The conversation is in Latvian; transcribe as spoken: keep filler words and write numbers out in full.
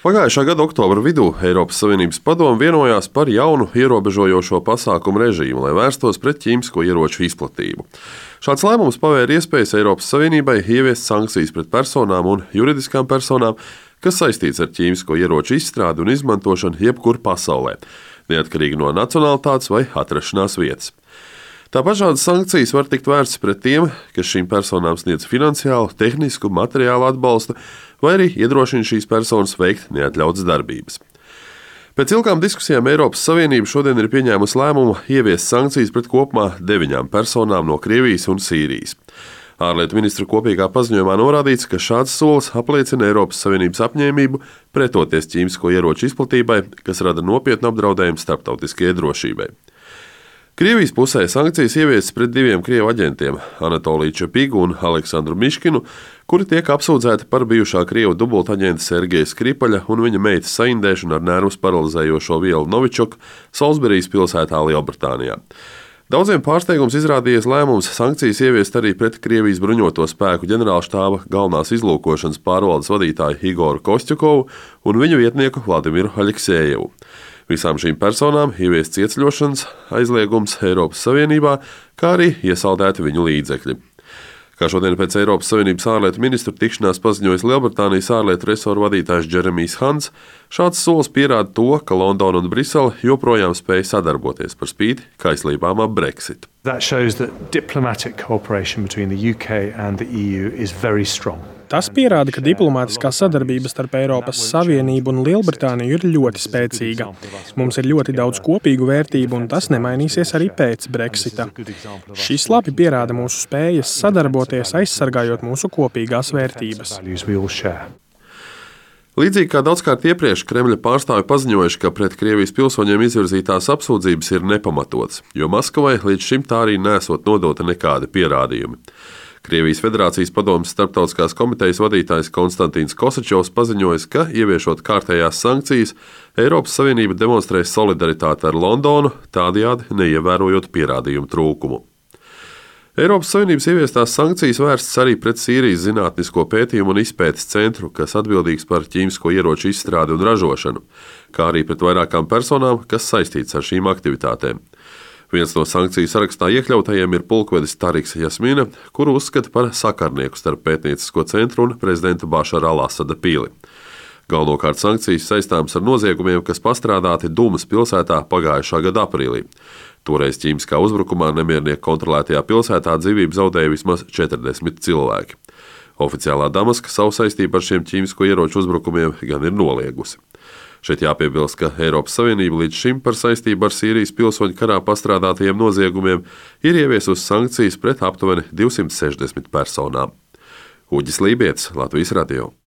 Pagājušā gada oktobra vidū Eiropas Savienības padome vienojās par jaunu ierobežojošo pasākumu režīmu, lai vērstos pret ķīmisko ieroču izplatību. Šāds lēmums pavēra iespējas Eiropas Savienībai ieviest sankcijas pret personām un juridiskām personām, kas saistīts ar ķīmisko ieroču izstrādi un izmantošanu jebkur pasaulē, neatkarīgi no nacionalitātes vai atrašanās vietas. Tāpat šādas sankcijas var tikt vērstas pret tiem, kas šīm personām sniedz finansiālu, tehnisku, materiālu atbalstu, vai arī iedrošina šīs personas veikt neatļautas darbības. Pēc ilgām diskusijām Eiropas Savienība šodien ir pieņēmusi lēmumu ieviest sankcijas pret kopumā deviņām personām no Krievijas un Sīrijas. Ārlietu ministru kopīgā paziņojumā norādīts, ka šāds solis apliecina Eiropas Savienības apņēmību pretoties ķīmisko ieroču izplatībai, kas rada nopietnu apdraudējumu starptautiskajai drošībai. Krievijas pusē sankcijas ieviestas pret diviem krievu aģentiem – Anatoliju Čepigu un Aleksandru Miškinu, kuri tiek apsūdzēti par bijušā krievu dubultaģenta Sergeja Skripaļa un viņa meitas saindēšanu ar nervus paralizējošo vielu Novičoku Solsberijas pilsētā Lielbritānijā. Daudziem pārsteigums izrādījies lēmums sankcijas ieviest arī pret Krievijas bruņoto spēku ģenerālštāba galvenās izlūkošanas pārvaldes vadītāju Igoru Kostjukovu un viņa vietnieku Vladimiru Aleksējevu. Visām šīm personām ieviests ieceļošanas aizliegums Eiropas Savienībā, kā arī iesaldēti viņu līdzekļi. Kā šodien pēc Eiropas Savienības ārlietu ministru tikšanās paziņojis Lielbritānijas ārlietu resoru vadītājs Džeremijs Hants, šāds solis pierāda to, ka Londona un Brisele joprojām spēj sadarboties par spīti kaislībām ap Brexit. That shows that diplomatic cooperation between the U K and the E U is very strong. Tas pierāda, ka diplomātiskā sadarbība starp Eiropas Savienību un Lielbritāniju ir ļoti spēcīga. Mums ir ļoti daudz kopīgu vērtību, un tas nemainīsies arī pēc Brexita. Šis labi pierāda mūsu spējas sadarboties, aizsargājot mūsu kopīgās vērtības. Līdzīgi kā daudzkārt iepriekš, Kremļa pārstāvi paziņojuši, ka pret Krievijas pilsoņiem izvirzītās apsūdzības ir nepamatotas, jo Maskavai līdz šim tā arī nesot nodota nekādi pierādījumi. Krievijas Federācijas padomes starptautiskās komitejas vadītājs Konstantīns Kosačovs paziņojis, ka, ieviešot kārtējās sankcijas, Eiropas Savienība demonstrēs solidaritāti ar Londonu, tādējādi neievērojot pierādījumu trūkumu. Eiropas Savienības ieviestās sankcijas vērstas arī pret Sīrijas Zinātnisko pētījumu un izpētes centru, kas atbildīgs par ķīmisko ieroču izstrādi un ražošanu, kā arī pret vairākām personām, kas saistīts ar šīm aktivitātēm. Viens no sankciju sarakstā iekļautajiem ir pulkvedis Tariks Jasmina, kuru uzskata par sakarnieku starp pētniecisko centru un prezidenta Bašara al-Asada pili. Galvenokārt sankcijas saistāmas ar noziegumiem, kas pastrādāti Dumas pilsētā pagājušā gada aprīlī. Toreiz ķīmiskā uzbrukumā nemiernieku kontrolētajā pilsētā dzīvību zaudēja vismaz četrdesmit cilvēki. Oficiālā Damaska savu saistību ar šiem ķīmisko ieroču uzbrukumiem gan ir noliegusi. Šeit jāpiebilst, ka Eiropas Savienība līdz šim par saistību ar Sīrijas pilsoņu karā pastrādātajiem noziegumiem ir ieviesusi sankcijas pret aptuveni divsimt sešdesmit personām. Uģis Lībietis, Latvijas radio.